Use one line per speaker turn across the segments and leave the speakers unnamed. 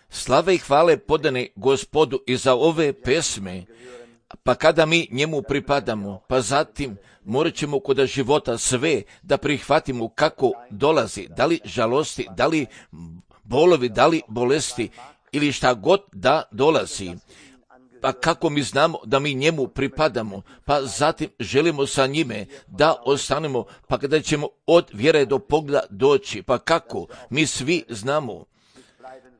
Slave i hvale podane Gospodu i za ove pesme, pa kada mi njemu pripadamo, pa zatim morat ćemo kod života sve da prihvatimo kako dolazi, da li žalosti, da li bolovi, da li bolesti ili šta god da dolazi. Pa kako mi znamo da mi njemu pripadamo, pa zatim želimo sa njime da ostanemo, pa kada ćemo od vjere do pogleda doći, pa kako mi svi znamo,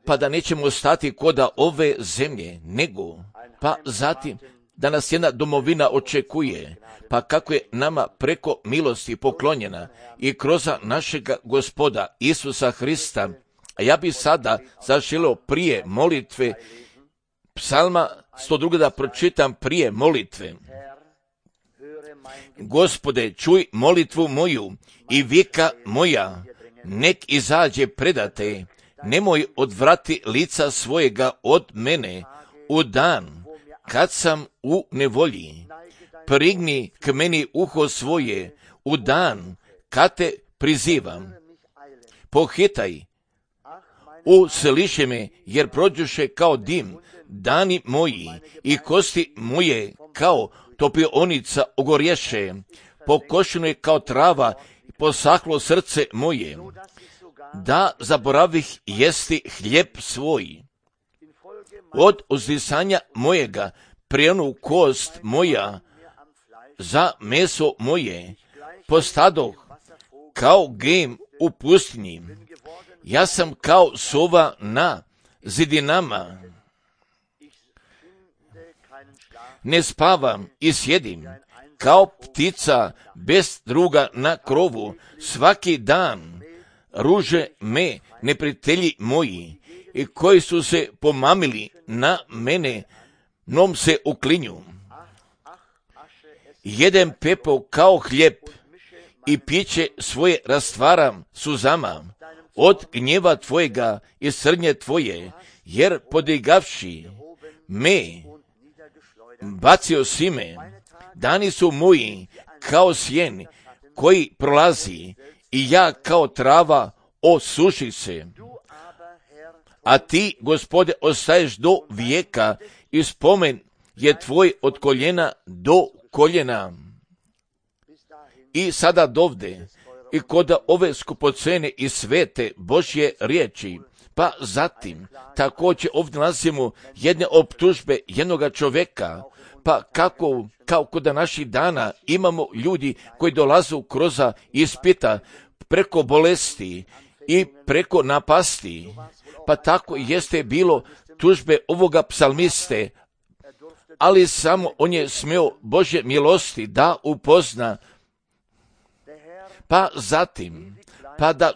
pa da nećemo stati koda ove zemlje, nego, pa zatim da nas jedna domovina očekuje, pa kako je nama preko milosti poklonjena i kroz našega Gospoda Isusa Hrista. A ja bi sada zaželio prije molitve Psalma 102 da pročitam prije molitve. Gospode, čuj molitvu moju i vika moja, nek izađe predate, nemoj odvrati lica svojega od mene u dan kad sam u nevolji. Prigni k meni uho svoje u dan kad te prizivam. Pohitaj, usliši me, jer prođuše kao dim dani moji i kosti moje kao topionica ogorješe. Pokošeno je kao trava i posahlo srce moje, da zaboravih jesti hljeb svoj. Od uzdisanja mojega prijenu kost moja za meso moje, postadoh kao gem u pustinji. Ja sam kao sova na zidinama. Ne spavam i sjedim, kao ptica bez druga na krovu. Svaki dan ruže me neprijatelji moji, i koji su se pomamili na mene, nom se uklinju. Jedem pepeo kao hljeb i piće svoje rastvaram suzama od gnjeva tvojega i srnje tvoje, jer podigavši me, bacio si me. Dani su moji kao sjen koji prolazi i ja kao trava osuši se. A ti, Gospode, ostaješ do vijeka i spomen je tvoj od koljena do koljena. I sada dovde, i kod ove skupocene i svete Božje riječi, pa zatim također ovdje nalazimo jedne optužbe jednoga čovjeka, pa kako kod naših dana imamo ljudi koji dolazu kroz ispita preko bolesti i preko napasti, pa tako jeste bilo tužbe ovoga psalmiste, ali samo on je smio Božje milosti da upozna. Pa zatim, pa da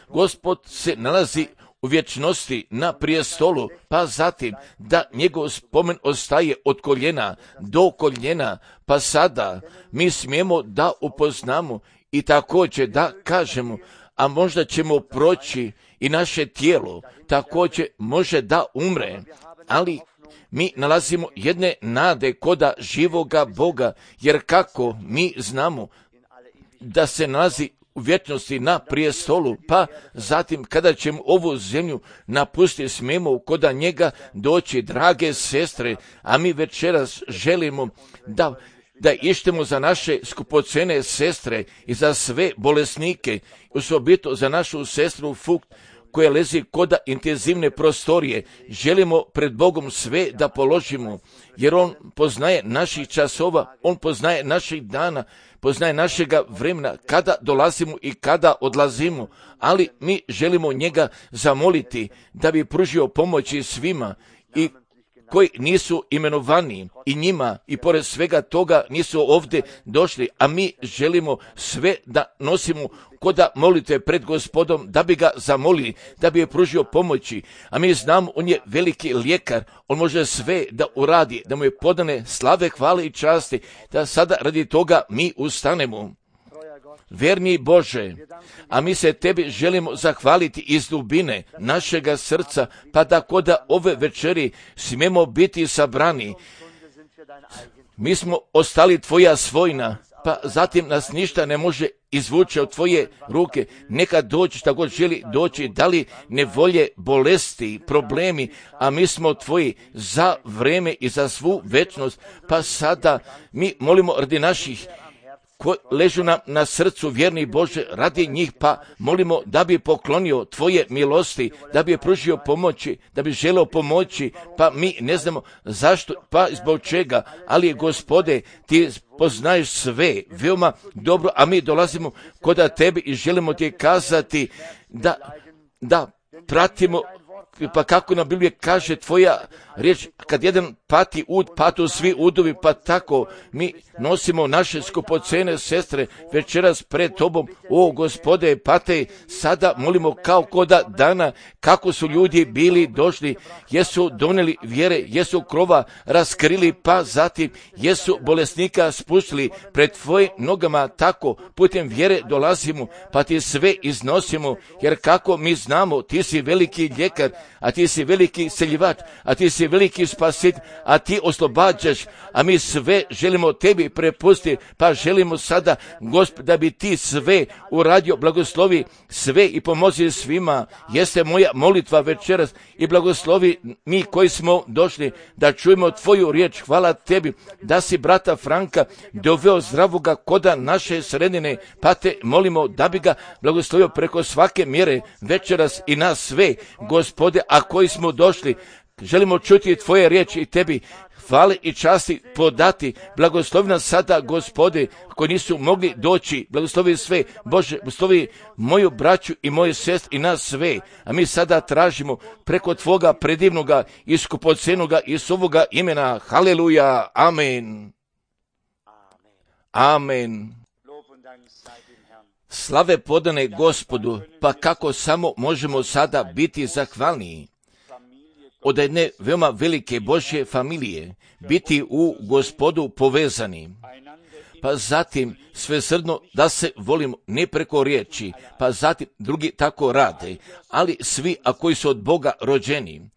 Gospod se nalazi u vječnosti na prijestolu, pa zatim da njegov spomen ostaje od koljena do koljena, pa sada mi smijemo da upoznamo i također da kažemo, a možda ćemo proći i naše tijelo, također može da umre, ali mi nalazimo jedne nade koda živoga Boga, jer kako mi znamo da se nalazi u vječnosti na prijestolu, pa zatim kada ćemo ovu zemlju napustiti, smijemo koda njega doći, drage sestre, a mi večeras želimo da ištemo za naše skupocene sestre i za sve bolesnike, osobito za našu sestru Fukt, koja lezi koda intenzivne prostorije. Želimo pred Bogom sve da položimo, jer On poznaje naših časova, On poznaje naših dana, poznaje našega vremena, kada dolazimo i kada odlazimo, ali mi želimo njega zamoliti da bi pružio pomoći svima i koji nisu imenovani i njima i pored svega toga nisu ovdje došli, a mi želimo sve da nosimo koda molite pred Gospodom, da bi ga zamolili, da bi je pružio pomoći, a mi znamo on je veliki lijekar, on može sve da uradi, da mu je podane slave, hvale i časti, da sada radi toga mi ustanemo. Verni Bože, a mi se tebi želimo zahvaliti iz dubine našega srca, pa da koda ove večeri smijemo biti sabrani. Mi smo ostali tvoja svojina, pa zatim nas ništa ne može izvući od tvoje ruke. Neka dođe šta god želi doći, da li nevolje, bolesti, problemi, a mi smo tvoji za vreme i za svu večnost. Pa sada mi molimo radi naših koji ležu nam na srcu, vjerni Bože, radi njih, pa molimo da bi poklonio tvoje milosti, da bi pružio pomoći, da bi želeo pomoći, pa mi ne znamo zašto, pa zbog čega, ali Gospode, ti poznaješ sve veoma dobro, a mi dolazimo kod tebe i želimo ti kazati da pratimo, pa kako na Bibliji kaže tvoja riječ, kad jedan pati ud, patu svi udovi, pa tako mi nosimo naše skupocene sestre večeras pred tobom. O Gospode, pate, sada molimo kao koda dana, kako su ljudi bili došli, jesu doneli vjere, jesu krova raskrili, pa zatim jesu bolesnika spustili pred tvoje nogama, tako putem vjere dolazimo, pa ti sve iznosimo, jer kako mi znamo, ti si veliki ljekar, a ti si veliki seljivač, a ti si veliki spasitelj, a ti oslobađaš, a mi sve želimo tebi prepustiti, pa želimo sada, Gospod, da bi ti sve uradio, blagoslovi sve i pomozi svima. Jeste moja molitva večeras i blagoslovi mi koji smo došli da čujemo tvoju riječ. Hvala tebi da si brata Franka doveo zdravoga koda naše sredine, pa te molimo da bi ga blagoslovio preko svake mjere večeras i nas sve, Gospode, a koji smo došli, želimo čuti tvoje riječi i tebi hvale i časti podati. Blagoslovi nas sada, Gospode, koji nisu mogli doći, blagoslovi sve, Bože, blagoslovi moju braću i moje sestre i nas sve, a mi sada tražimo preko tvoga predivnoga i skupocenoga Isusovoga imena. Haleluja, amen. Amen. Slave podane Gospodu, pa kako samo možemo sada biti zahvalniji od jedne veoma velike Božje familije, biti u Gospodu povezani, pa zatim svesrdno da se volimo ne preko riječi, pa zatim drugi tako rade, ali svi a koji su od Boga rođeni,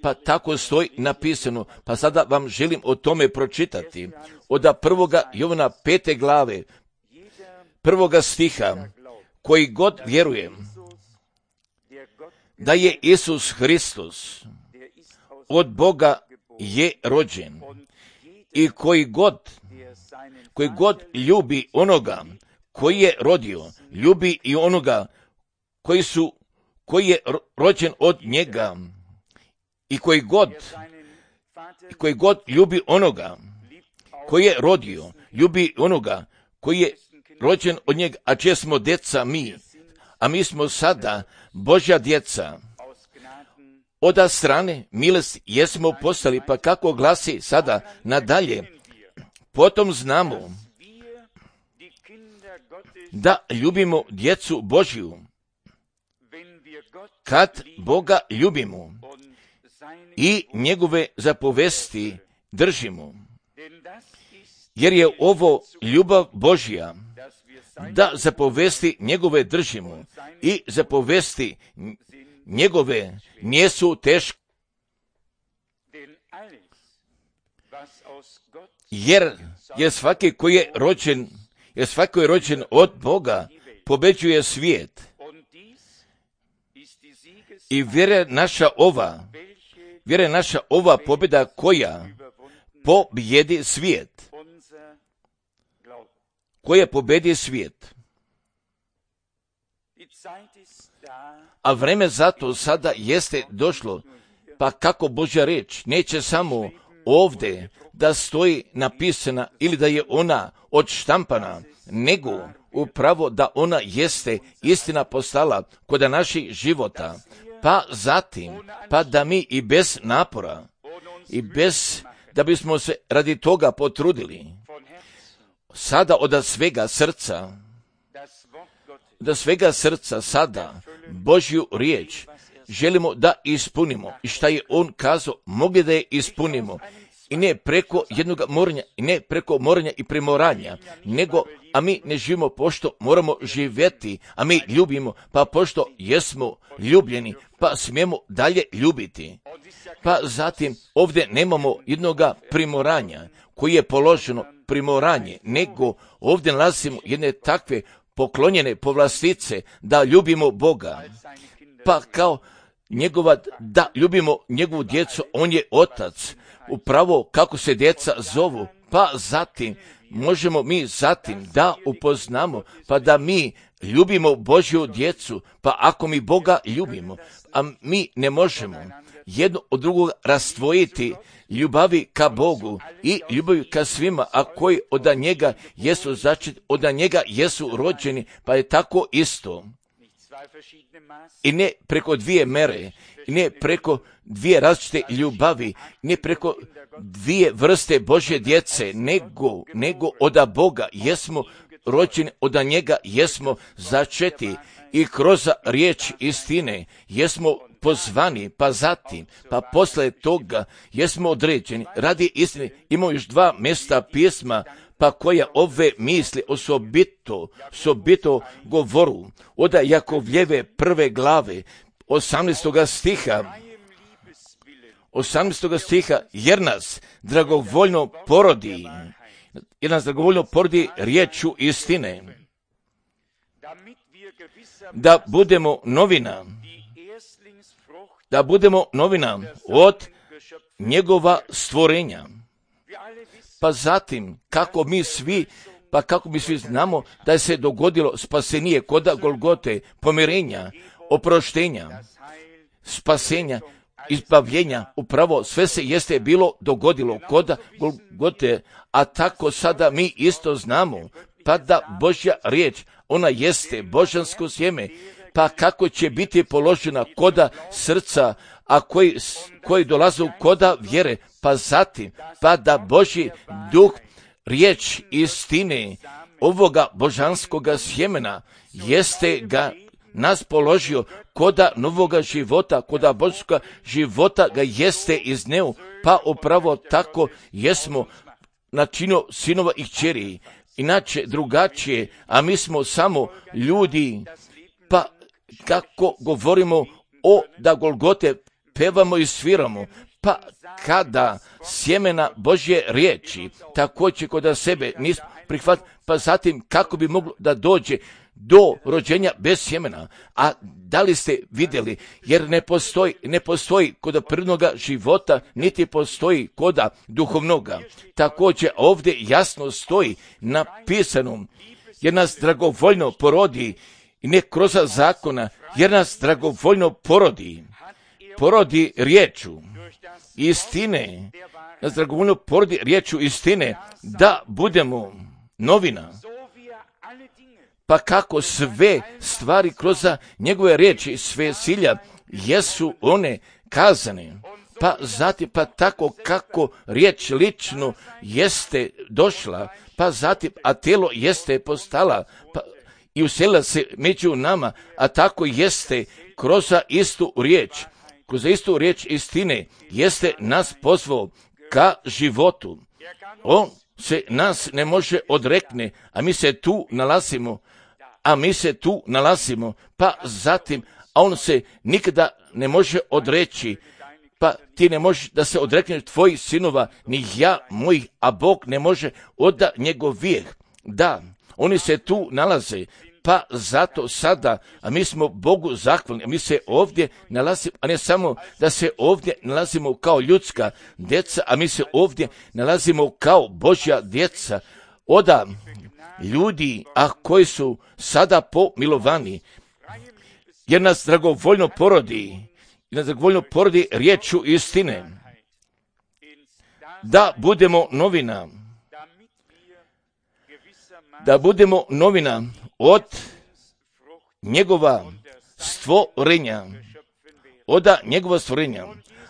pa tako stoji napisano, pa sada vam želim o tome pročitati, od 1. Jovana 5. glave, 1. stiha, koji god vjeruje da je Isus Hristos od Boga je rođen i koji god ljubi onoga koji je rodio, ljubi i onoga koji je rođen od njega, i koji god ljubi onoga koji je rodio, ljubi onoga koji je rođen od njega, a čije smo djeca mi, a mi smo sada Božja djeca. Od strane milosti jesmo postali, pa kako glasi sada nadalje, potom znamo da ljubimo djecu Božju, kad Boga ljubimo i njegove zapovesti držimo, jer je ovo ljubav Božja, da zapovesti njegove držimo i zapovesti njegove nisu teške, jer svaki koji je rođen od Boga pobeđuje svijet. I vjera naša ova pobjeda koja pobjedi svijet. Koja pobjedi svijet. A vreme zato sada jeste došlo, pa kako Božja reč neće samo ovdje da stoji napisana ili da je ona odštampana, nego upravo da ona jeste istina postala kod naših života, pa zatim, pa da mi i bez napora, i bez da bismo se radi toga potrudili, sada od svega srca sada Božju riječ želimo da ispunimo i šta je on kazao, mogli da je ispunimo i ne preko jednog moranja, i ne preko moranja i primoranja, nego, a mi ne živimo pošto moramo živjeti, a mi ljubimo, pa pošto jesmo ljubljeni, pa smijemo dalje ljubiti. Pa zatim ovdje nemamo jednoga primoranja koji je položeno primoranje, nego ovdje nalazimo jedne takve poklonjene povlastice da ljubimo Boga. Pa kao da ljubimo njegovu djecu, on je otac, upravo kako se djeca zovu, pa zatim možemo mi zatim da upoznamo, pa da mi ljubimo Božju djecu, pa ako mi Boga ljubimo, a mi ne možemo jedno od drugog rastvojiti ljubavi ka Bogu i ljubavi ka svima, a koji od njega jesu začeti, od njega jesu rođeni, pa je tako isto. I ne preko dvije mere, i ne preko dvije različite ljubavi, ne preko dvije vrste Božje djece, nego od Boga jesmo rođeni, od njega jesmo začeti i kroz riječ istine jesmo pozvani, pa zatim, pa posle toga jesmo određeni radi istine. Imamo još dva mjesta pisma, pa koja ove misli osobito govoru od Jakovljeve prve glave 18. stiha, jer nas dragovoljno porodi riječu istine, da budemo novina od njegova stvorenja. Pa zatim, kako mi svi znamo da se dogodilo spasenje koda Golgote, pomirenja, oproštenja, spasenja, izbavljenja, upravo sve se jeste bilo dogodilo koda Golgote, a tako sada mi isto znamo, pa da Božja riječ, ona jeste božansko sjeme, pa kako će biti položena koda srca, a koji dolaze koda vjere, pa zatim, pa da Božji duh, riječ istine, ovoga božanskoga sjemena, jeste ga nas položio koda novoga života, koda božskoga života ga jeste izneo, pa upravo tako jesmo načinio sinova i kćeri, inače drugačije, a mi smo samo ljudi, pa kako govorimo da Golgote pevamo i sviramo, pa kada sjemena Božje riječi također kod sebe nismo prihvatili, pa zatim kako bi moglo da dođe do rođenja bez sjemena. A da li ste vidjeli, jer ne postoji kod prirodnoga života, niti postoji kod duhovnoga. Također ovdje jasno stoji napisano, jer nas dragovoljno porodi, i ne kroz zakona, jer nas dragovoljno porodi riječu istine, nas dragovoljno porodi riječu istine, da budemo novina. Pa kako sve stvari kroz njegove riječi, sve silja, jesu one kazane, pa zatim, pa tako kako riječ lično jeste došla, pa zatim, a tijelo jeste postala, pa i uselila se među nama, a tako jeste kroz istu riječ istine, jeste nas pozvao ka životu. On se nas ne može odrekne, a mi se tu nalazimo, pa zatim, a on se nikada ne može odreći, pa ti ne možeš da se odrekneš tvojih sinova, ni ja mojih, a Bog ne može od njegovih. Da, oni se tu nalaze, pa zato sada, a mi smo Bogu zahvalni, a mi se ovdje nalazimo, a ne samo da se ovdje nalazimo kao ljudska djeca, a mi se ovdje nalazimo kao Božja djeca, od ljudi, a koji su sada pomilovani, jer nas dragovoljno porodi riječu istine, da budemo novina od njegova stvorenja,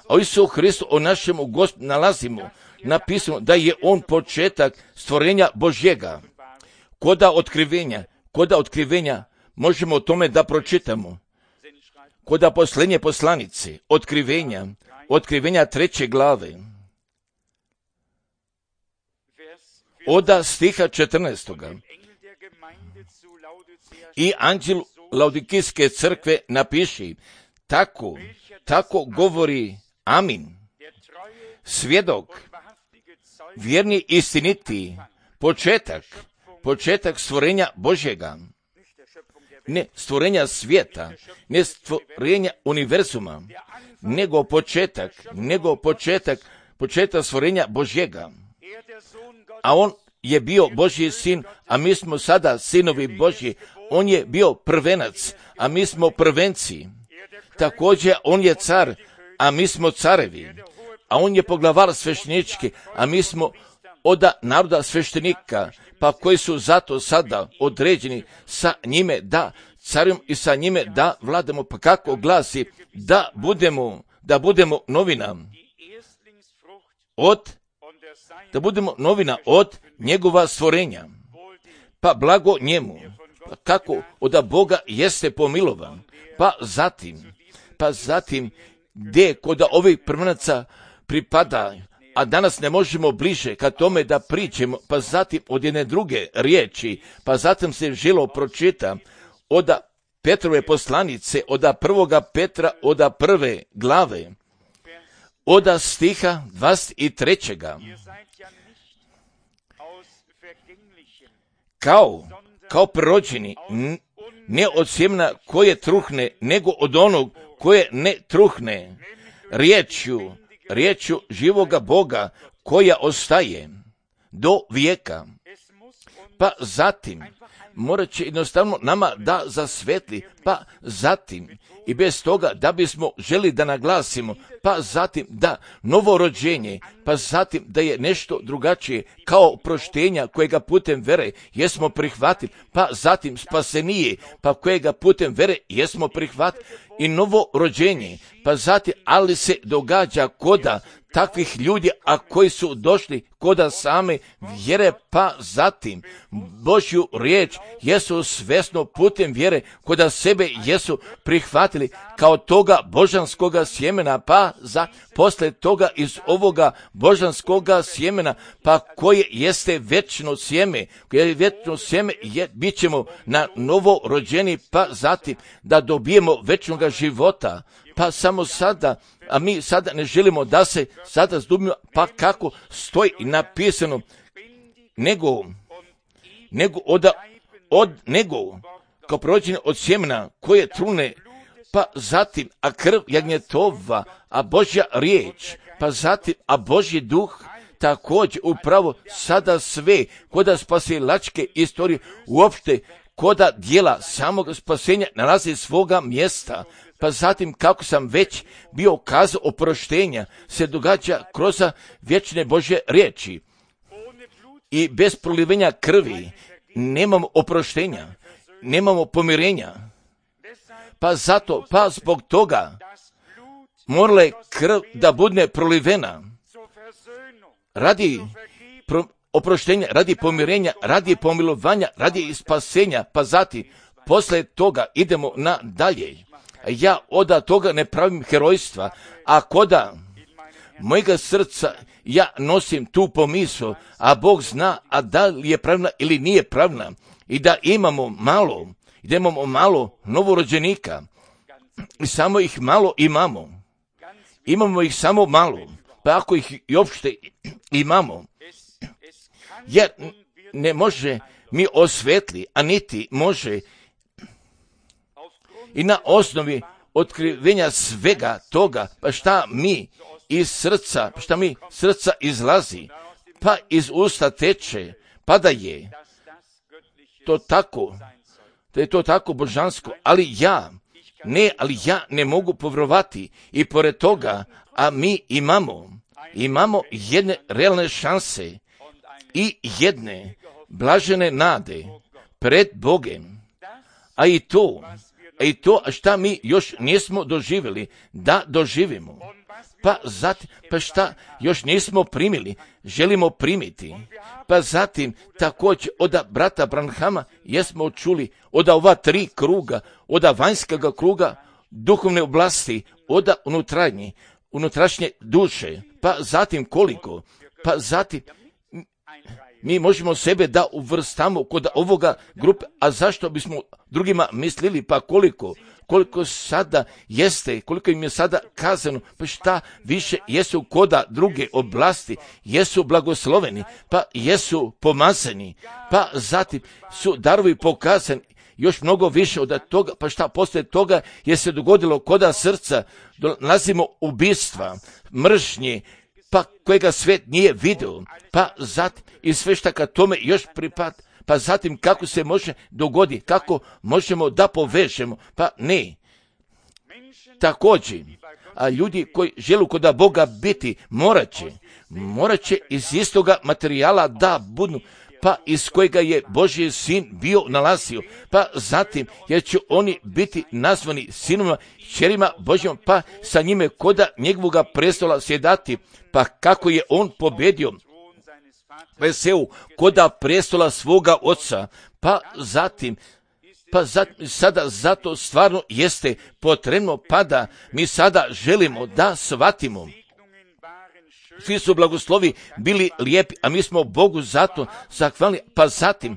a u Isusu Hristu o našemu Gospodu nalazimo napisano da je on početak stvorenja Božjega. Koda otkrivenja možemo o tome da pročitamo. Koda posljednje poslanice, otkrivenja 3. glave. Oda stiha 14. I anđel Laodikijske crkve napiši, tako govori Amin. Svjedok, vjerni istiniti, početak stvorenja Božjega. Ne stvorenja svijeta, ne stvorenja univerzuma, nego početak stvorenja Božjega. A on je bio Božji sin, a mi smo sada sinovi Božji. On je bio prvenac, a mi smo prvenci. Također on je car, a mi smo carevi. A on je poglavar sveštenički, a mi smo od naroda sveštenika, pa koji su zato sada određeni sa njime da carujemo i sa njime da vladamo. Pa kako glasi, da budemo novina od njegova stvorenja. Pa blago njemu, pa kako od Boga jeste pomilovan. Pa zatim gdje kod ovih prvenaca pripada, a danas ne možemo bliže ka tome da pričamo, pa zatim od jedne druge riječi, pa zatim se želo pročita od Petrove poslanice, od 1. Petra, od 1. glave, od stiha 23. Kao prorođeni, ne od sjemena koje truhne, nego od onog koje ne truhne, riječju živoga Boga koja ostaje do vijeka. Pa zatim morat će jednostavno nama da zasvetli, pa zatim i bez toga da bismo želi da naglasimo, pa zatim da novorođenje, pa zatim da je nešto drugačije kao proštenja kojega putem vere jesmo prihvatili, pa zatim spasenije, pa kojega putem vere jesmo prihvatili i novorođenje, pa zatim ali se događa koda takvih ljudi, a koji su došli koda same vjere, pa zatim Božju riječ jesu svesno putem vjere koda sebe jesu prihvatili kao toga božanskoga sjemena, pa posle toga iz ovoga božanskoga sjemena, pa koje jeste večno sjeme, bit ćemo na novo rođeni, pa zatim da dobijemo večnoga života. Pa samo sada, a mi sada ne želimo da se sada zdubimo, pa kako stoji napisano, nego kao prođene od sjemena koje trune, pa zatim, a krv jagnjetova, a Božja riječ, pa zatim, a Božji duh, također upravo sada sve koda spasilačke istorije, uopšte koda dijela samog spasenja nalazi svoga mjesta. Pa zatim, kako sam već bio kazao, oproštenja se događa kroz vječne Božje riječi. I bez prolivenja krvi nemamo oproštenja, nemamo pomirenja. Pa zbog toga morala je krv da bude prolivena radi oproštenja, radi pomirenja, radi pomilovanja, radi spasenja, pa zatim posle toga idemo na dalje. Ja od toga ne pravim herojstva, a koda mojega srca ja nosim tu pomisao, a Bog zna, a da li je pravna ili nije pravna, i da imamo malo novorođenika, i samo ih malo imamo ih samo malo, pa ako ih i uopšte imamo, jer ne može mi osvetli, a niti može i na osnovi otkrivenja svega toga, pa šta mi srca izlazi, pa iz usta teče, pa da je to tako božansko, ali ja ne mogu povjerovati i pored toga, a mi imamo jedne realne šanse i jedne blažene nade pred Bogem, a i to šta mi još nismo doživjeli, da doživimo. Pa šta još nismo primili, želimo primiti. Pa zatim također od brata Branhama jesmo čuli od ova 3 kruga, od vanjskog kruga duhovne oblasti, od unutrašnje duše. Pa zatim koliko? Pa zatim mi možemo sebe da uvrstamo kod ovoga grupe, a zašto bismo drugima mislili, pa koliko sada jeste, koliko im je sada kazano, pa šta više jesu koda druge oblasti, jesu blagosloveni, pa jesu pomazani, pa zatim su darovi pokazani, još mnogo više od toga, pa šta poslije toga je se dogodilo koda srca, nalazimo ubistva, mržnje, pa kojega svijet nije vidio, pa zatim i sve šta ka tome još pripada, pa zatim kako se može dogoditi, kako možemo da povežemo, pa ne. Također, a ljudi koji žele kod Boga biti, morat će iz istoga materijala da budu, pa iz kojega je Božji sin bio nalazio, pa zatim jer će oni biti nazvani sinovima, kćerima Božjom, pa sa njime koda njegovoga prestola sjedati, pa kako je on pobjedio veseu koda prestola svoga oca, pa zatim sada zato stvarno jeste potrebno, pa da mi sada želimo da shvatimo. Svi su blagoslovi bili lijepi, a mi smo Bogu zato zahvalni, pa zatim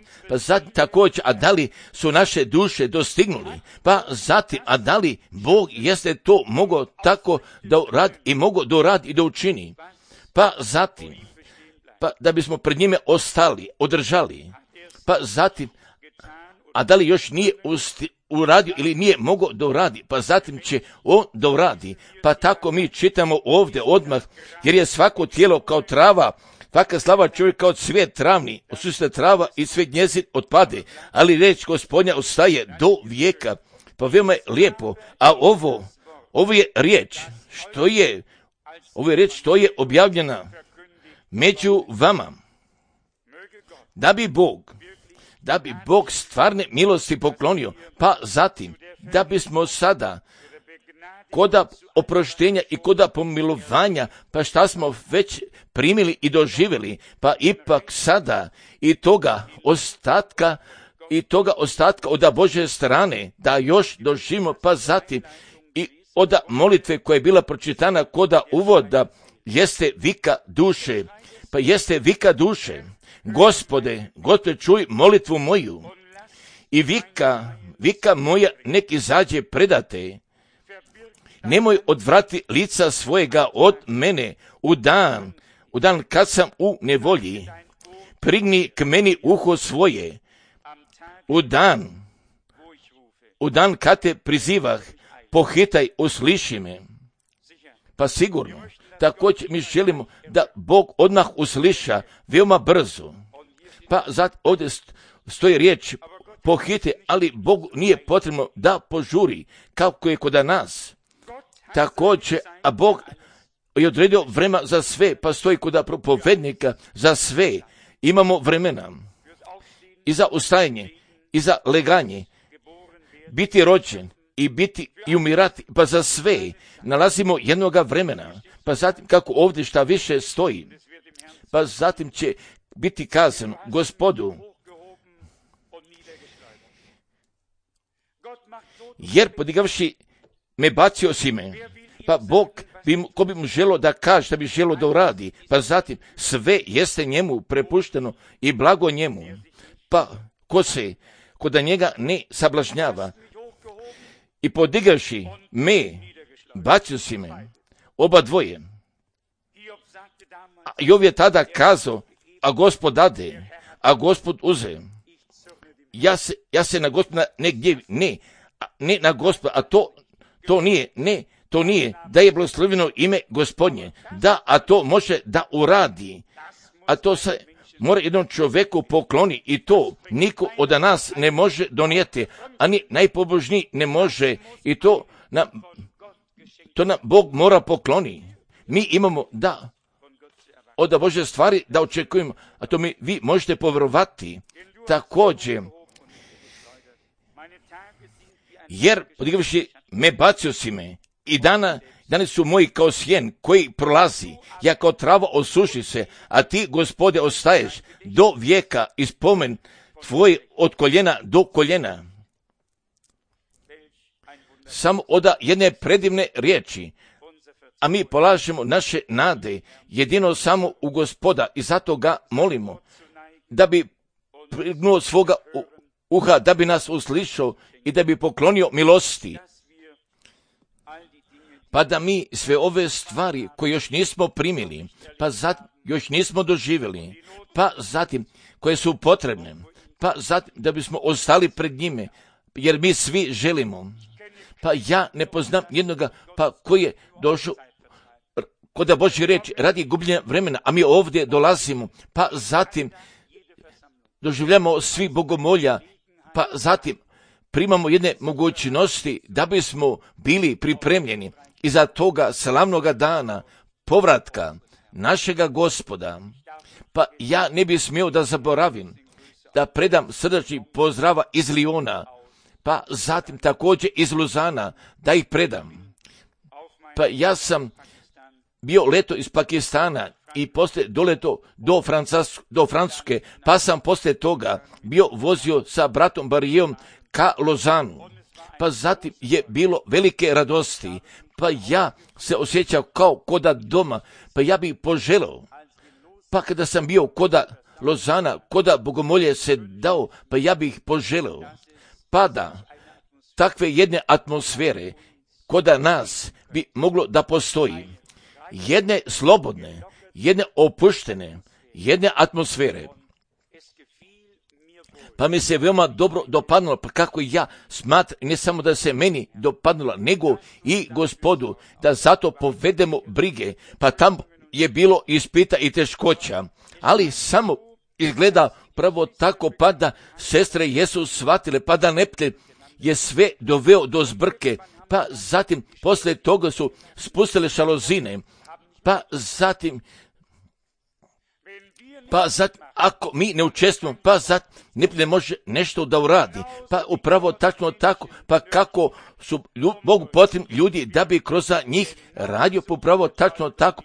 također, a da li su naše duše dostignuli, pa zatim, a da li Bog jeste to mogao tako da uradi i mogao da uradi i da učini, pa zatim, pa da bismo pred njime ostali, održali, pa zatim, a da li još nije uradio ili nije mogao da uradi, pa zatim će on da uradi. Pa tako mi čitamo ovdje odmah, jer je svako tijelo kao trava, svaka slava čovjek kao cvijet travni, osuste trava i sve njezin otpade, ali riječ Gospodnja ostaje do vijeka. Pa veoma je lijepo, a ovo je riječ, što je objavljena među vama, da bi Bog stvarne milosti poklonio, pa zatim, da bismo sada koda oproštenja i koda pomilovanja, pa šta smo već primili i doživjeli, pa ipak sada i toga ostatka od Božje strane, da još doživimo, pa zatim i od molitve koja je bila pročitana koda uvoda, jeste vika duše, pa jeste vika duše. Gospode, čuj molitvu moju i vika moja nek izađe predate. Nemoj odvrati lica svojega od mene u dan kad sam u nevolji. Prigni k meni uho svoje. U dan kad te prizivah, pohitaj, usliši me. Pa sigurno. Također mi želimo da Bog odmah usliša veoma brzo. Pa zato ovdje stoji riječ pohite, ali Bogu nije potrebno da požuri kako je kod nas. Također, a Bog je odredio vremena za sve, pa stoji kod propovednika za sve. Imamo vremena i za ustajanje, i za leganje, biti rođen i biti i umirati, pa za sve nalazimo jednoga vremena. Pa zatim, kako ovdje šta više stoji, pa zatim će biti kazano Gospodu, jer podigavši me bacio si me, pa Bog ko bi mu želo da kaže, šta bi želo da uradi, pa zatim sve jeste njemu prepušteno i blago njemu, pa ko da njega ne sablažnjava, i podigavši me bacio si me, oba dvoje. Jov je tada kazao, a Gospod dade, a Gospod uze. Ja se na Gospoda ne gnjevim, ne na Gospoda, a to nije, da je blagosloveno ime Gospodnje, a to može da uradi, a to se mora jednom čovjeku pokloni i to niko od nas ne može donijeti, ani najpobožniji ne može i to nam Bog mora pokloni. Mi imamo da od Božje stvari da očekujemo, a to vi možete povjerovati. Također, jer podigavši me bacio si me i dani su moji kao sjen koji prolazi, ja kao trava osuši se, a ti, Gospode, ostaješ do vijeka i spomen tvoj od koljena do koljena. Samo od jedne predivne riječi, a mi polažemo naše nade jedino samo u Gospoda i zato ga molimo. da bi prignuo svoga uha, da bi nas uslišao i da bi poklonio milosti. Pa da mi sve ove stvari koje još nismo primili, pa zatim još nismo doživjeli, pa zatim koje su potrebne, pa zatim da bismo ostali pred njime, jer mi svi želimo. Pa ja ne poznam jednoga, pa koji je došao kod Božje riječi radi gubljenja vremena, a mi ovdje dolazimo, pa zatim doživljamo svi bogomolja, pa zatim primamo jedne mogućnosti da bismo bili pripremljeni iza toga slavnoga dana povratka našega Gospoda. Pa ja ne bih smio da zaboravim da predam srdačni pozdrava iz Liona, pa zatim također iz Luzana, da ih predam. Pa ja sam bio leto iz Pakistana i poslije doleto do Francuske, pa sam poslije toga bio vozio sa bratom Barijom ka Lozanu. Pa zatim je bilo velike radosti, pa ja se osjećao kao koda doma, pa ja bih poželao. Pa kada sam bio koda Lozana, koda bogomolje se dao, pa ja bih poželao. Pa da takve jedne atmosfere koda nas bi moglo da postoji. Jedne slobodne, jedne opuštene, jedne atmosfere. Pa mi se veoma dobro dopadnulo, pa kako ja smatram, ne samo da se meni dopadnula, nego i Gospodu, da zato povedemo brige, pa tam je bilo ispita i teškoća, ali samo izgleda pravo tako, pa da sestre jesu shvatile, pa da neprijatelj je sve doveo do zbrke, pa zatim poslije toga su spustile šalozine, pa zatim ako mi ne učestvujemo, pa zatim ne može nešto da uradi, pa upravo tačno tako, pa kako su Bogu potrebni ljudi da bi kroz njih radio, pa upravo tačno tako,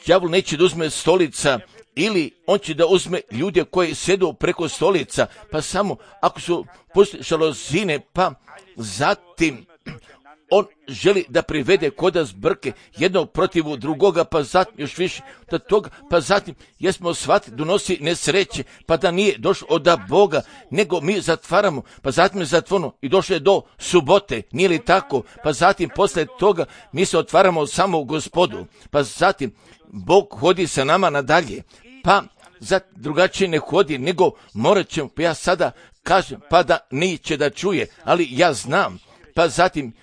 đavol neće da uzme stolica, ili on će da uzme ljude koji sjedu preko stolica, pa samo ako su pustili šalozine, pa zatim on želi da privede koda zbrke jednog protiv drugoga, pa zatim još više do toga, pa zatim jesmo shvatili donosi nesreće, pa da nije došlo od Boga, nego mi zatvaramo, pa zatim je zatvoreno i došlo je do subote, nije li tako, pa zatim posle toga mi se otvaramo samo u Gospodu, pa zatim Bog hodi sa nama nadalje, pa drugačije ne hodi, nego morat ćemo, pa ja sada kažem, pa da neće da čuje, ali ja znam, pa zatim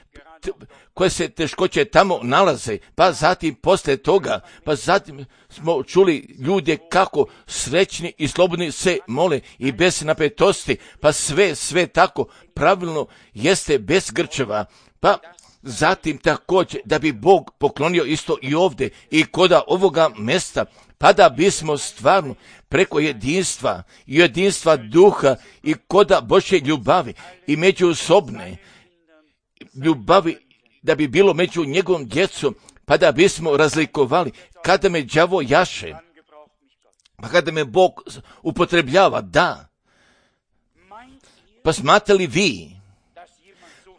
koje se teškoće tamo nalaze, pa zatim posle toga, pa zatim smo čuli ljude kako srećni i slobodni se mole i bez napetosti, pa sve tako pravilno jeste bez grčeva, pa zatim također da bi Bog poklonio isto i ovdje i koda ovoga mesta, pa da bismo stvarno preko jedinstva duha i koda Božje ljubavi i međusobne ljubavi, da bi bilo među njegovom djecom, pa da bismo razlikovali kada me đavo jaše, pa kada me Bog upotrebljava, da. Pa smatrali vi,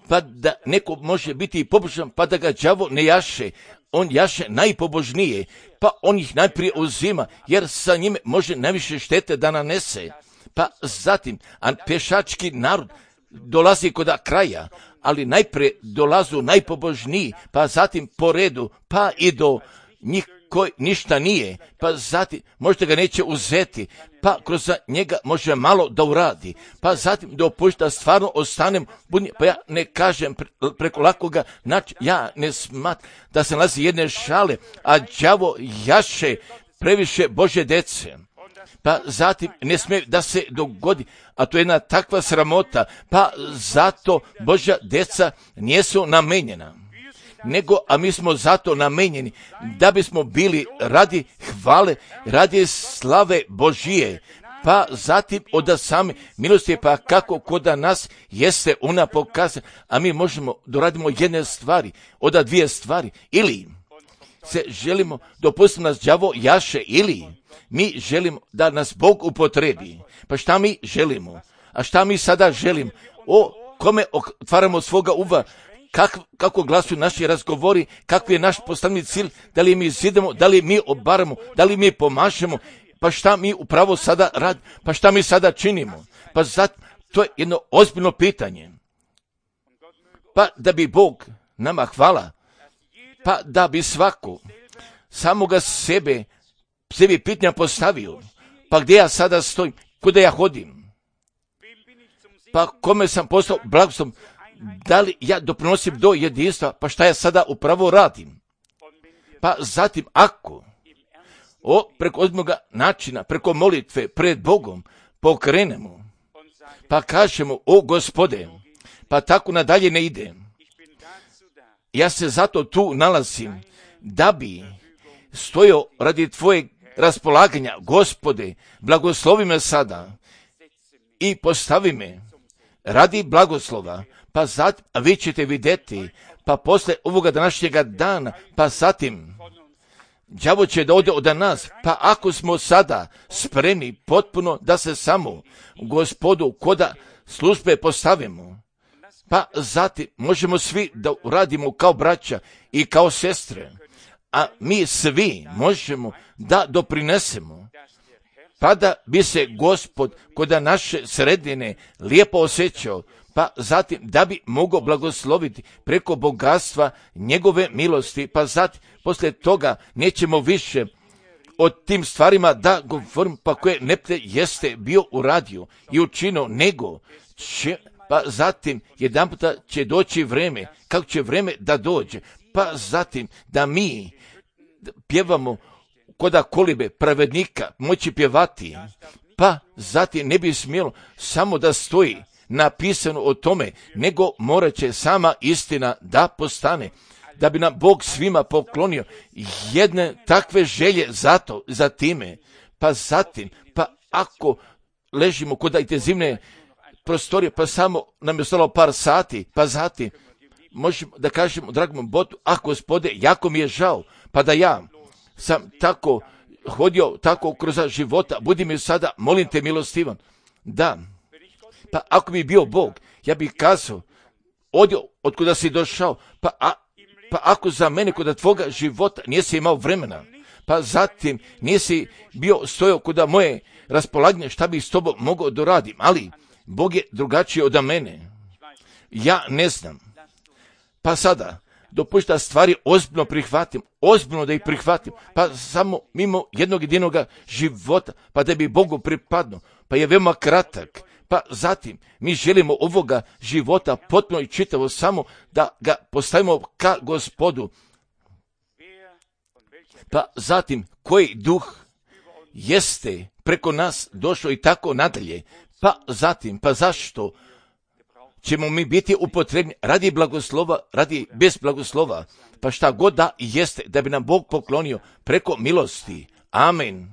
pa da neko može biti pobožan, pa da ga đavo ne jaše, on jaše najpobožnije, pa on ih najprije uzima, jer sa njime može najviše štete da nanese. Pa zatim, a pešački narod dolazi kod kraja, ali najprije dolazu najpobožniji, pa zatim po redu, pa i do njih koji ništa nije, pa zatim možda ga neće uzeti, pa kroz njega može malo da uradi, pa zatim dopušta da stvarno ostanem budni, pa ja ne kažem preko lakoga, znači ja ne smatram da se nalazi jedne šale, a đavo jaše previše Božje dece. Pa zatim ne smije da se dogodi, a to je jedna takva sramota, pa zato Božja deca nisu namenjena, a mi smo zato namenjeni da bismo bili radi hvale, radi slave Božije, pa zatim od same milosti, pa kako koda nas jeste ona pokazana, a mi možemo doradimo jedne stvari, od dvije stvari, ili se želimo dopustiti nas đavo jaše, ili mi želimo da nas Bog upotrebi. Pa šta mi želimo? A šta mi sada želimo? O kome otvaramo svoga uva? Kako glasuju naši razgovori? Kakvi je naš postavni cilj? Da li mi zidamo? Da li mi obaramo? Da li mi pomažemo? pa šta mi upravo sada radimo, pa šta mi sada činimo? Pa to je jedno ozbiljno pitanje. Pa da bi Bog nama hvala, pa da bi svako samoga sebi pitanja postavio, pa gdje ja sada stojim, kuda ja hodim, pa kome sam postao blagoslovom, da li ja doprinosim do jedinstva, pa šta ja sada upravo radim. Pa zatim ako preko ozbiljnog načina, preko molitve pred Bogom pokrenemo, pa kažemo, o Gospode, pa tako nadalje ne ide. Ja se zato tu nalazim, da bi stojao radi tvojeg raspolaganja. Gospode, blagoslovi me sada i postavi me radi blagoslova, pa zatim vi ćete vidjeti, pa posle ovoga današnjega dana, pa zatim đavo će da ode od nas, pa ako smo sada spremni potpuno da se samo Gospodu koda službe postavimo, pa zatim možemo svi da uradimo kao braća i kao sestre, a mi svi možemo da doprinesemo, pa da bi se Gospod kod naše sredine lijepo osjećao, pa zatim da bi mogao blagosloviti preko bogatstva njegove milosti, pa zatim poslije toga nećemo više o tim stvarima da govorim, pa koje nepte jeste bio uradio i učinio, nego pa zatim jedan puta će doći vreme, kako će vreme da dođe, pa zatim da mi pjevamo koda kolibe pravednika moći pjevati, pa zatim ne bi smjelo samo da stoji napisano o tome, nego morat će sama istina da postane, da bi nam Bog svima poklonio jedne takve želje za time, pa zatim, pa ako ležimo kod intenzivne prostorije, pa samo nam je ostalo par sati, pa zatim možemo da kažemo dragom Bogu, Gospode, jako mi je žao, pa da ja sam tako hodio tako kroz života, budi mi sada, molim te milostivan, da, pa ako bi bio Bog, ja bih kazao, odio od kuda si došao, pa ako za mene kod tvoga života nisi imao vremena, pa zatim nisi bio stojao kod moje raspolaganje, šta bih s tobom mogao doradim, ali Bog je drugačiji od mene. Ja ne znam. Pa sada, dopušta stvari ozbiljno prihvatim, ozbiljno da ih prihvatim, pa samo mimo jednog jedinog života, pa da bi Bogu pripadno, pa je veoma kratak. Pa zatim mi želimo ovoga života potpuno i čitavo samo da ga postavimo ka Gospodu. Pa zatim koji duh jeste preko nas došao i tako nadalje. Pa zatim, pa zašto ćemo mi biti upotrebni radi blagoslova, radi bez blagoslova, pa šta god da jeste, da bi nam Bog poklonio preko milosti. Amen.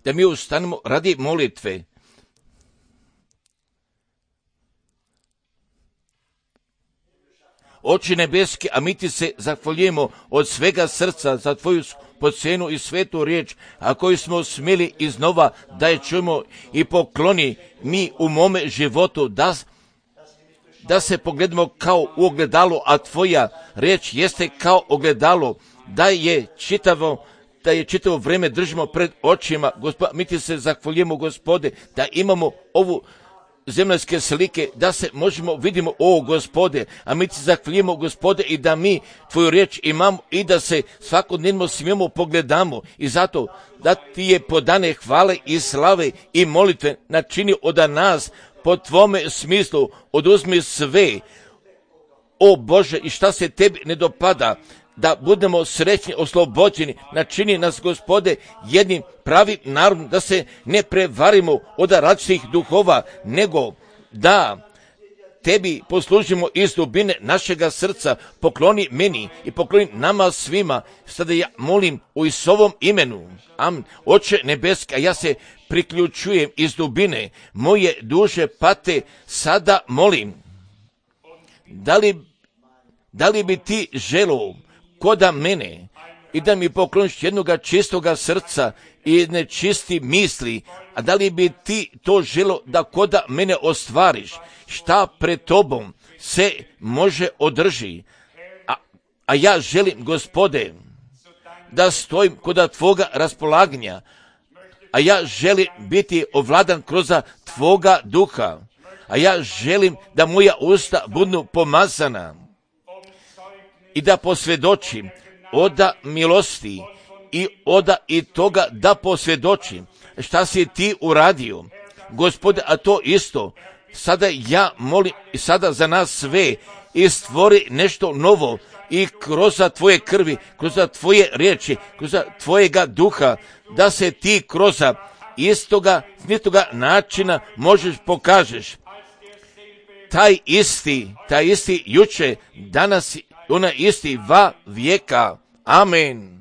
Da mi ustanemo radi molitve. Oče nebeski, a mi ti se zahvaljujemo od svega srca za tvoju podcenu i svetu riječ, a koju smo smjeli iznova da je čujemo i pokloni mi u mome životu, da se pogledamo kao u ogledalo, a tvoja riječ jeste kao ogledalo, da je čitavo vrijeme držimo pred očima. Mi ti se zahvaljujemo, Gospode, da imamo ovu zemaljske slike, da se možemo vidimo, o Gospode, a mi ti zahvaljujemo, Gospode, i da mi tvoju riječ imamo i da se svakodnevno smijemo pogledamo, i zato da ti je podane hvale i slave i molitve načini od nas po tvome smislu, oduzmi sve, o Bože, i šta se tebi ne dopada, da budemo srećni, oslobođeni, načini nas, Gospode, jednim pravim narodom, da se ne prevarimo od različitih duhova, nego da tebi poslužimo iz dubine našega srca. Pokloni meni i pokloni nama svima. Sada ja molim u Isusovom imenu. Amen. Oče nebeski, a ja se priključujem iz dubine moje duše pate, sada molim, da li bi ti želeo koda mene i da mi pokloniš jednoga čistoga srca i jedne čisti misli, a da li bi ti to želo da koda mene ostvariš, šta pred tobom se može održi, a ja želim, Gospode, da stojim kod Tvoga raspolaganja, a ja želim biti ovladan kroz Tvoga duha, a ja želim da moja usta budu pomazana i da posvjedočim od milosti i toga da posvjedočim šta si Ti uradio, Gospode, a to isto sada ja molim i sada za nas sve i stvori nešto novo i kroz Tvoje krvi, kroz Tvoje riječi, kroz Tvojega duha, da se Ti kroz istoga načina možeš pokažeš. Taj isti juče, danas, ona isti va vijeka. Amen.